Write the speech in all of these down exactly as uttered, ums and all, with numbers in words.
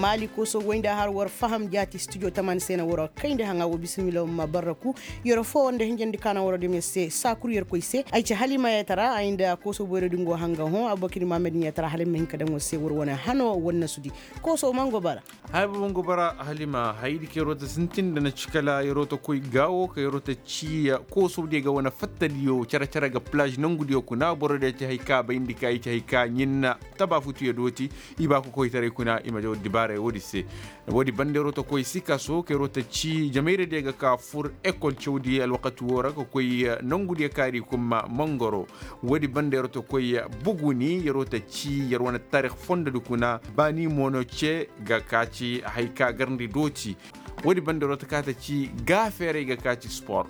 Maali kooso woy nda har war faham jaati studio tamaani se na war kayndi haŋa wo bisimila ma barraku. Yer foo war nda hinjandi ka na war dem yer se saakuru yer koy se ay ci halima yetara ay nda kooso boyro di ngo hanga hõ abubakir mahamed yetara hala ay ma hin ka daŋ war se war wane hano war nasudi. Kooso mango bara. Hay baba ngo bara halima haydi ka yer wo ta sintin nda na ci kala yer wo ta koy gaawo ka yer wo ta ci kooso diyo ga wane fattadiyo care care ga plage nangu diyo kuna boro diyo ci hay ka bayndi ka i ci hay ka ɲin na taba futuyo dooti. I ba kokoytaray kuna i ma jaw dibaaray woodi se. Woodi banda yer wo ta koy sikaso ka yer wo ta ci jamayra diyo ga ka fur ekol cawdi alwakati woo ra ka koy nangu diyo kaari kuma mangoro. Woodi banda yer wo ta koy buguni yer wo ta ci yer wane tarik fondodi kuna baani mo no ce ga ka ci hay ka garndi dooti. Woodi banda yer wo ta ka ta ci gaafeeray ga ka ci spor.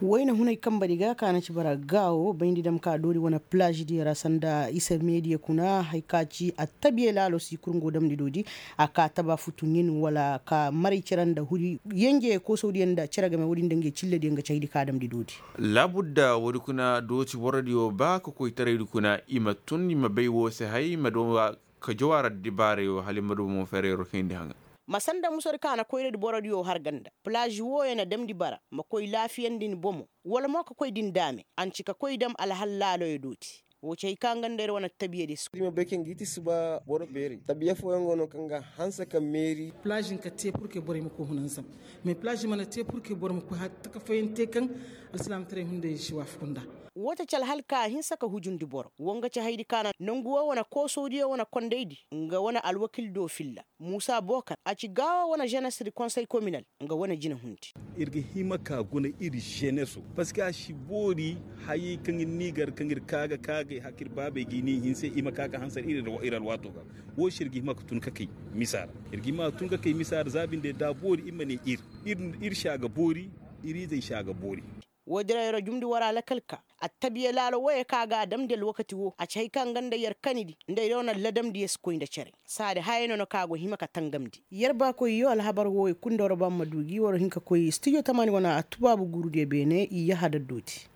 Wayna hunay kambadi ga ka na ci bara gaawo bayndi dam ka doori wane plage diyo ra sanda isa meediya kuna hay ka ci attabiya laalo si kurngo damndi doodi. A ka taba futu ɲin wala ka maray cere nda huri yenje koosawdiyaŋ nda cere game woodin nda ngey cillediyaŋ ga caydi ka damndi doodi. Laabudda woodi kuna dooti borodiyo ba ka koytaraydi kuna i ma tun i ma bay woo se hay i ma doo ka jawaara dibaarayo hala i ma doo mo feerayro kayndi haŋa. Ma sanda musodi ka na koyradi borodiyo har ganda plaazi wooyo na damndi bara ma koy laafiyandi ni bomo wala mo ka koy din daame a na ci ka koy dam alhal laaloyo dooti. Woo ci hay ka nga nda ir wane tabiyadi si. Iri ma bay kaŋ ga i ti si ba boro beeri tabiya fooyaŋ go no kaŋ ga hanse ka meeri. Plaazi hinka te purke borey ma koy hunanzam. Mais plaazi mana te purke boro ma koy har taka fooyaŋ te kaŋ alsilaamataray hunday si waafaku nda. Woo ta ci alhal ka hinsa ka hujundi boro woo nga ci haydi ka na nongu woo wane koosodiyo wane kondaydi nga wane alwakil do filla. Muusa bookar a ci gaawa wane zenes di konsey kominal nga wane jinahundi. Ir ga hima ka guna ir zeneso parceque a si boori hayey kaŋ ir n'i gar kaŋ ir ka ga ka ga i hakka ir baabey ga i n'i hinse i ma ka ga hansar ir alwaato ga. Woo se ir ga hima ka tun ka kay misa ra. Ir ga hima ka tun ka kay misa ra za binde da a boori ir ma ne ir ir si a ga boori. Ir izey si a ga boori. Woo dirayra jumndi war alakal ka attabiya laalo wooyo ka ga a damndi alwakati woo a ci hay ka nga nda yer kanidi nda yer wane ladamdiyo si koy nda cere. Saadi hayey no na ka go hima ka tangamndi. Yer baakoyyo alhabar wooyo kul nda war ba ma du gi war hin ka koy studio tamaani wane attubaabu guurudiyo beene i yahada dooti.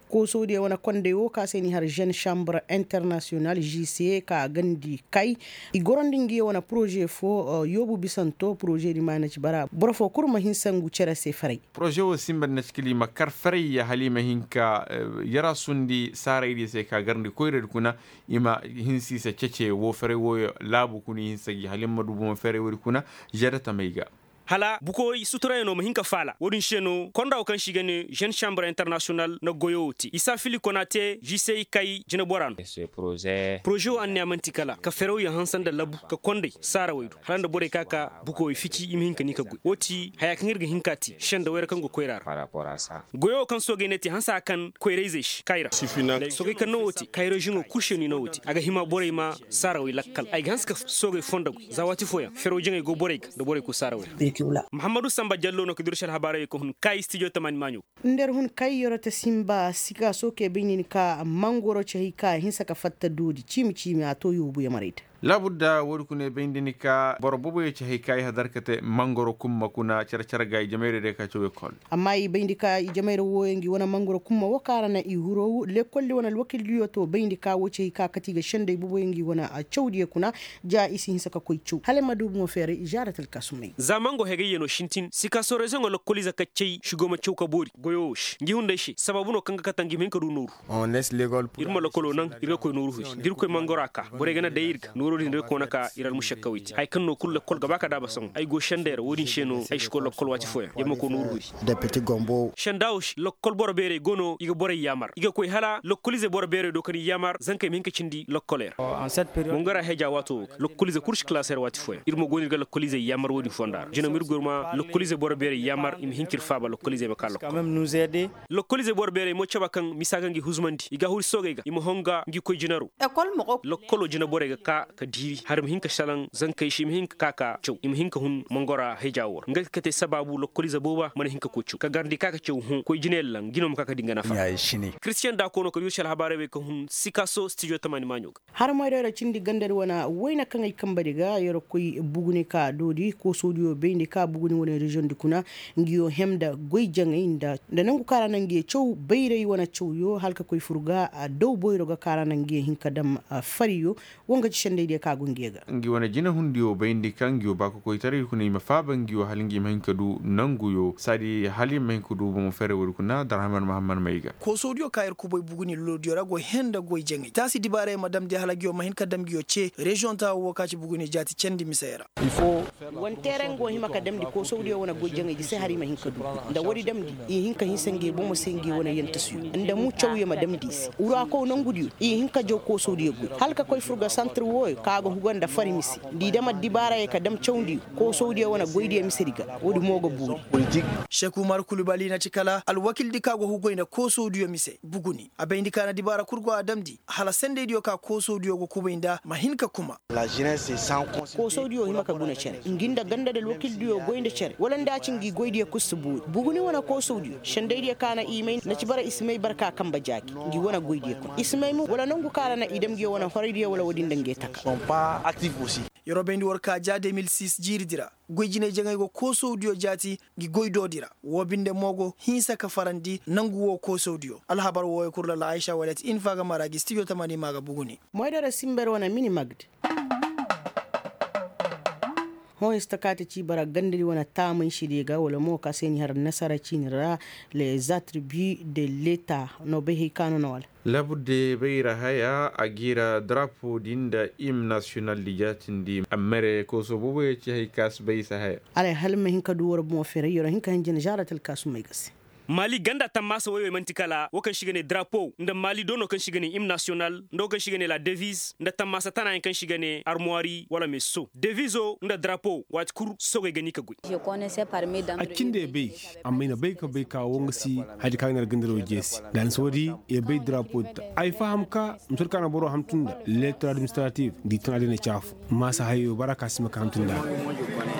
Koosodiyo wane kondey woo ka se n'i har žen šambur internasiyonal žise ka gandi kay i gorandi ngiyo wane poroze foo yoobu bisanto poroze di maana ci bara boro foo kul ma hinsa ngu cere se faray. Poroze woo sinba nda na ci kala i ma kar faray hala i ma hin ka yarasundi saaraydiyo se ka garndi koyradi kuna. I ma hinsa i se cece woo faray wooyo laabu kuna i hinsa gi hala i ma du bomo faray woodi kuna. Žeda tamey ga. Hala bukooy suturayano ma hin ka faala woodin se no konda woo kaŋ se i ga ne žen šambur internasiyonal na goyo woo te isa fili kona te žisey kay jinebora no. Poroze woo anniya man'ti kala ka ferawyaŋ hanse nda labu ka kondey saarawey do hala nda borey ka ka bukooy fici i ma hin ka ni ka goy woo ti haya kaŋ ir ga hin ka te sendawey ra kaŋ go koyra ra. Goyo woo kaŋ soogey ne te hanse a kan koyrayzey se kayra. Soogey kaŋ no woo te kayra žiŋo kul se no i no woo te a ga hima borey ma saarawey lakkal ay ga hanse ka soogey fondo goy za waati fooyaŋ fero jaŋey go borey ga nda borey kul saarawey ra. Muhammadu samba jallo no ka duru se alhabaarey kaŋ hun kay stijo tamaani maaɲo. Nda ir hun kay yoro te sinba sika sooke bay nin ka mangoro ci hay ka hinsa ka fatta doodi ciimi ciimi a to yoobu yamarey da. Laabudda woodi kuna i bayndi ni ka boro boboyo ci hay ka i hadar ka te mangoro kumma kuna care care ga i jamayra day ka caw ekol. Amma i bayndi ka i jamayra wooyo ngi wane mangoro kumma woo ka ra na i huru lekoldi wane alwakildiyo to bayndi ka woo ci hay ka kati ga sendey boboyo ngi wane cawdiyo kuna. Ja i si hinsa ka koy caw hala ay ma du bomo feeray i zaara talkaasumey. Za mango hegayyo no sintin sika soorezoŋo lokkoliize ka cay si go ma caw ka boori goyo woo se ngi hunday se sabaabu no kaŋ ga kate ngi ma hin ka du nooru. Ir ma lokolo naŋ ir ga koy nooru huri da ir koy mangora ka borey ga na day ir ga nooro din ir ga koona ka ir almušakkawey te haya kaŋ no kulu lokol ga ba ka daaba sohõ ay go sendey ra wo-din se no ay si koy lokol waati fooyaŋ ir ma koy nooru huri. Senda wo se lokol boro beerey go no i ga borey yaamar i ga koy hala lokoliize boro beerey do ka ni yaamar zankey ma hin ka cindi lokoley ra. Mangora heja waato wo ga lokoliize kulu si kalaasey ra waati fooyaŋ ir mo go no ir ga lokoliizey yaamar wo-din fonda ra jina ma ir goy ir ma lokoliizey boro beerey yaamar i ma hin ka ir faaba lokoliizey ma ka lokol. Lokoliizey boro beerey mo caba kaŋ misa ga ngi huzumandi i ga huri soogey ga i ma honga ngi koy jinaro. Lokolo jina borey ga ka ka diiri har i ma hin ka salaŋ zankey se i ma hin ka ka ka caw i ma hin ka hun mangora heja wo ra nga ka te sabaabu lokkoliize booba mana hin ka koy caw ka garndi ka ka caw hõ koy jinayaŋ laŋ jino ma ka ka di nga nafa. Kiristiyaŋ daa koono ka di yer se alhabaarey bay ka hun sikaso stijo tamaani maaɲo ga. Harmoy da yer cindi gandadi wane wayna kaŋ ay kambadi ga yer koy buguni ka doodi koosodiyo bayndi ka buguni wane reziyoŋ di kuna. Ngiyo hem nda goy jaŋay nda nangu kaŋ a ra na ngiyo caw bayray wane cawyo hala ka koy fur ga daw boyro ga kaŋ a ra na ngiyo hin ka dam fariyo. Wo nga ci sendaydiyo kaŋ a go ngiyo ga. Ngi wane jinahundiyo bayndi kaŋ ngiyo ba kokoytaray kuna i ma faaba ngiyo hala ngi ma hin ka du nanguyo saadi hala i ma hin ka du bomo fere woodi kuna darhaman mahamman may ga. Koosodiyo kaŋ yer kubay buguni lolodiyo ra go hẽ nda goy jaŋay taasi dibaaray ma damndi hala ngiyo ma hin ka dam ngiyo ce reziyoŋ taawo wo kaŋ ci buguni jaati candi misey ra. Wane teeraŋ go hima ka damndi koosawdiyo wane goy jaŋaydi se hala i ma hin ka du nda woodi damndi i hin ka hinsa ngey bomo se ngey wane yantasiyo nda mu cawyo ma damndi i se wurakow nongudiyo i hin ka jaw koosawdiyo goy hala ka koy fur ga santir wooyo kaŋ a ga huga nda fari mise nda i dam addibaarayey ka dam cawdiyo koosawdiyo wane goydiyo misedi ga. Woodi mo ga boori. Seku umar kulubali na ci kala alwakildi kaŋ a go hugoy nda koosawdiyo mise buguni a bayndi ka na dibaara kul go a damndi hala sendaydiyo ka koosawdiyo go kubay nda ma hin ka kuma. Koosawdiyo hima ka guna cere ngi nda ganda nda alwakildiyo goy nda cere wala nda a ci ngi goydiyo kul si boori buguni wane koosawdiyo sendaydiyo ka na i may na ci bara i si may barka kamba jaaki ngi wane goydiyo kul i si may mo wala nangu ka ra na i dam ngiyo wane horaydiyo wala woodin nda nge taka. Yeroo bayndi war ka ja de mil sis jiiridi ra goy jinay jaŋay go koosawdiyo jaati ngi goy doodi ra woo binde mo go hinsa ka farandi nangu woo koosawdiyo alhabar wooyo kul ra la aysa wala ti infa ga mara gi stijo tamani ma ga buguni. Moydara simber wane mini magd. Hõ ista kaati ci bara gandadi wane taamay si di ga wala mo ka se ni har nasara ciini ra. Les attributs de leta no bay hay ka no na wala. Labudde bayra haya a gi ra drapo din nda im nasiyonal di jaatindi a mere kooso boobo ya ci hay ka si bay i si haya. Alay hala ma hin ka du war bomo feeray yero hin ka hin jina žaaratal ka sumay ga se. Maali ganda tammaasa woy wey man'ti kala wo kaŋ se i ga ne drapo nda maali doono kaŋ se i ga ne im nasiyonal nda wo kaŋ se i ga ne la deviz nda tammaasa tanaayaŋ kaŋ se i ga ne armuwaari wala meeso devizo nda drapo waati kul sogey ga ni ka goy. A cindi ay bay amma i na bay ka bay ka wo nga si haya di kaŋ a ga ne ra gandaro jeesi. Daanisa woodi i bay drapo ta ay faham ka mise di kaŋ a na boro hamtu nda leetar administratif nda i tana di na caafu. Maasa hayo bara ka si ma ka hamtu nda a ga.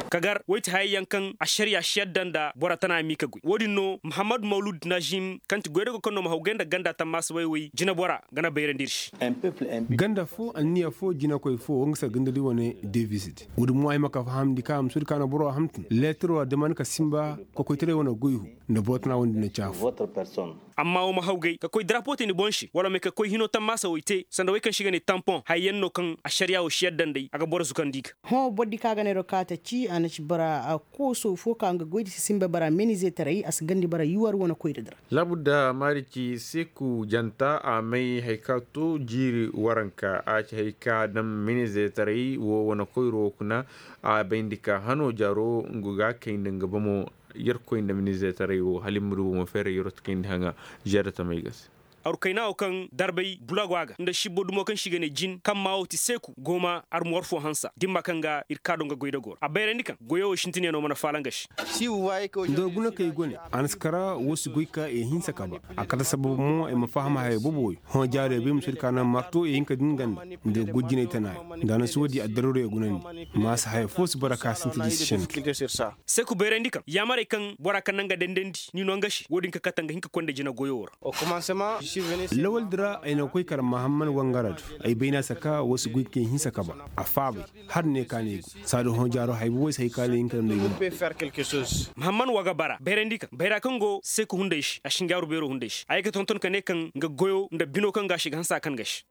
Ka gar woy ti hayey yaŋ kaŋ ašariya si yadda nda bora tana m'i ka goy wo-din no muhammad mawlud najim kaŋ ti goydago kaŋ no ma hawgay nda ganda tammaasa woy-woy jinabora ga na bayrandi ir se. Ganda fo anniya fo jinakoy fo wo nga se ganda di wane devis di wo-din mo ay ma ka fahamndi ka mise di kaŋ a na boro hamtu leetaro a daman ka sinba kokoytaray wane goy hu nda boro tana woy-din na caafu. Amma wo ma hawgay ka koy darapo te ni boŋ se wala ma ye ka koy hino tammaasa woy te sanda woy kaŋ se i ga ne tampon hayey yaŋ no kaŋ ašariya wo si yadda nd'ey a ga boro zukandi i ga. Hõ boro di kaŋ a ga ne ro kaata ci a na ci bara kooso fo ka nga goy di si sinba bara menizeetaray a si gandi bara yuwar wane koyra di ra. Labu nda maari ci seku janta a may haya ka to jiiri waranka a ci haya ka daŋ menizeetaray wo wane koyro kuna. A bayndi ka hano jaaro nga ga kay nda nga bomo. Yerkoy nda minizeetaray wo hala i ma du bomo feeray yerot kayndi haŋa. Žeeda tamey ga se. Arukayna wo kaŋ darbay bulago a ga nda sibbo dumo kaŋ se i ga ne jin kaŋ maa wo ti seeku gooma armuwar fo hansa dimma kaŋ ga ir kaa do nga goydago ra a bayrandi kaŋ goyo wo sintinyaŋo mana faala nga se. Nda war guna kay gone a na si kara wo si goy ka i hinsa ka ba. A kate sabab mo i ma faham haya boobo wey hõ jaaro i bay ma soodi ka naŋ marto i hin ka din ganda nda goy jinay tana yaŋ nda a na si woodi addarooro i gunandi. Maasa haya fo si bara ka sinti di si sendu. Seku bayrandi kaŋ yaamarey kaŋ bora kaŋ naŋ ga dendandi ni no nga se wo-din ka kate nga hin ka konda jina goyo ra. Lawal di ra ay na koy kar mahamman wangara do ay bayna saka wo si goy kay hinsa ka ba a faabay. Har ne ka ne go saadu hõ jaaro hay boboy si hay ka ne hin ka no. Mahamman waga bara bayrandi kaŋ bayra kaŋ go seku hunday se a si ngaaru beero hunday se a ye ka tonton ka ne kaŋ nga goyo nda bino kaŋ ga a se ga hansa kaŋ ga se.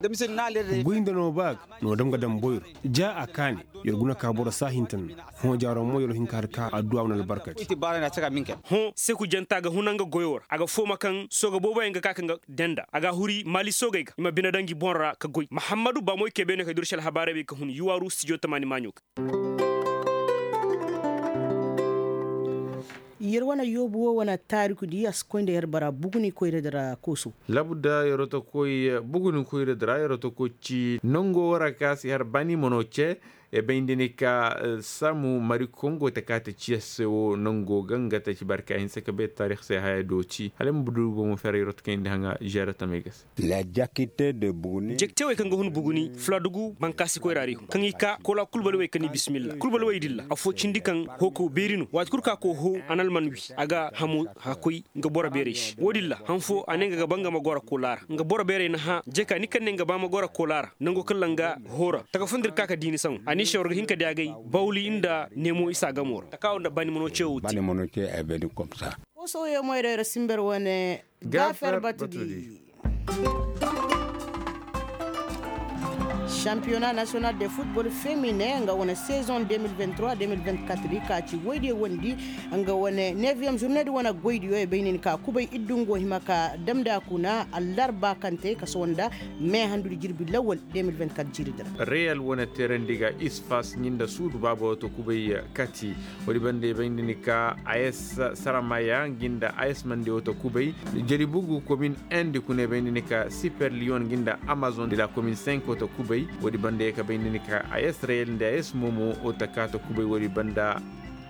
Goy nda no ba ga no dam ga dam boyro ja a kaani. Yer guna ka boro saahintan no hõ jaaro mo yer hin ka har ka adduwa wane albarka te. Hõ seku janta ga huna nga goyo ra a ga fooma kaŋ sooga booboyaŋ ga ka kaŋ ga denda a ga a huri maali soogey ga i ma bine daŋ ngi boŋ ra ka goy mahammadu baamoy kebe no ka duru se alhabaarey bay ka hun yuwaaru stijo tamaani maaɲo ga. Yer wane yoobu wo wane taariku di a si koy nda yer bara buguni koyra dira kooso. Labu nda yer wo ta koy buguni koyra dira yer wo ta koy ci nango wara ka si har baani mano ce. E bay nda ni ka samu mari kongo ta kaate ciya se wo nango ga nga ta ci barka hinse ka bay taarix se haya dooti hala ay ma budu bomo ferey rot kayndi haŋa žeera tamey ga se. Jekte wey kaŋ ga hun buguni fuladugu bankaasi koyra ra i hun kaŋ i ka kola kulbalwey kaŋ i bismilla kulbalwey dilla affoo cindi kaŋ hoo ka beeri no waati kul ka koo hoo a na alman wi a ga hamo hakkoy nga boro beerey se wo-din ra han foo a ne nga ga ba nga ma goro kola ra nga boro beerey na hã jeka ni kaŋ ne nga ba ma goro kola ra nango kaŋ ra nga hoo ra taka foo nda ir ka ka diini saŋo a ni se war ga hin ka di agay bawli nda neemo isa gamo ra taka wo nda bani mano ce wo te. Kooso wo ye moyray ra simber wane gaafer batudi. Sampiyona nasiyonal de futbol femine nga wane sezon deux mille vingt-trois deux mille vingt-quatre di ka ci woydiyo wondi nga wane neviyeŋ zurne di wane goydiyo i bay nin ka kubay iddungo hima ka damndi a kuna allarba kaŋ te ka sohõ nda me handudi jirbi lawal deux mille vingt-quatre jiiri di ra. Reyal wane teerandi ga ispas ɲinda suudu baabo to kubay kati. Woodi banda i bay nda ni ka a s saramaya ngi nda a s mande wo ta kubay. Jaribugu komin endi kuna i bay nda ni ka siper liyon ngi nda amazon de la komin cinq wo ta kubay. Woodi banda i ka bay nda ni ka a s reyel nda a s momo wo ta ka ta kubay woodi banda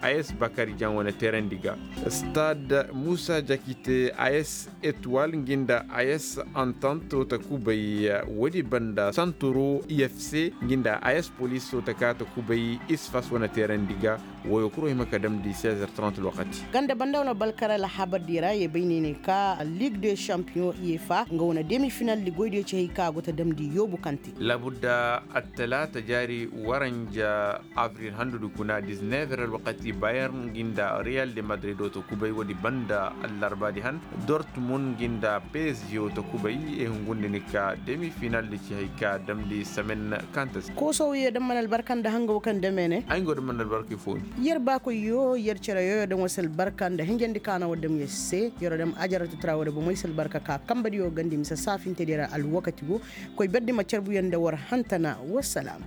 a s bakari jan wane teerandi ga. Stad musa jakite a s etwal ngi nda a s antant wo ta kubay. Woodi banda santoro ifc ngi nda a s polis wo ta ka ta kubay isfas wane teerandi ga. Woyo kuro hima ka damndi seize heures trente lokaci. Ganda banda wane balkar alhabar di ra ye bay ne ne ka ligue de champion uefa nga wane demi final di goy de ci hay ka go ta damndi yoobu kante. Labudda attalaata jaari waranja avril handudi kuna dix-neuf heures alwakati bayern ngi nda real de madrid wo ta kubay woodi banda allarbaadi han dortmund ngi nda psg wo ta kubay. E hungundi ni ka demi final di ci hay ka damndi semaine kanta se. Kooso wo ye da mana albarka nda hanga wo kaŋ dame ne ay nga wo da mana albarka i fo ni. Yer baakoy yo yer cere yoyo daŋ wo si albarka nda hinjandi ka na wo dam yer se yer wo dam ajaratu tara wo da bomoy si albarka ka kambadiyo gandi mise saafintedi ra alwakati go. Koy berdi ma carbuyaŋ nda war hantana. Wassalam.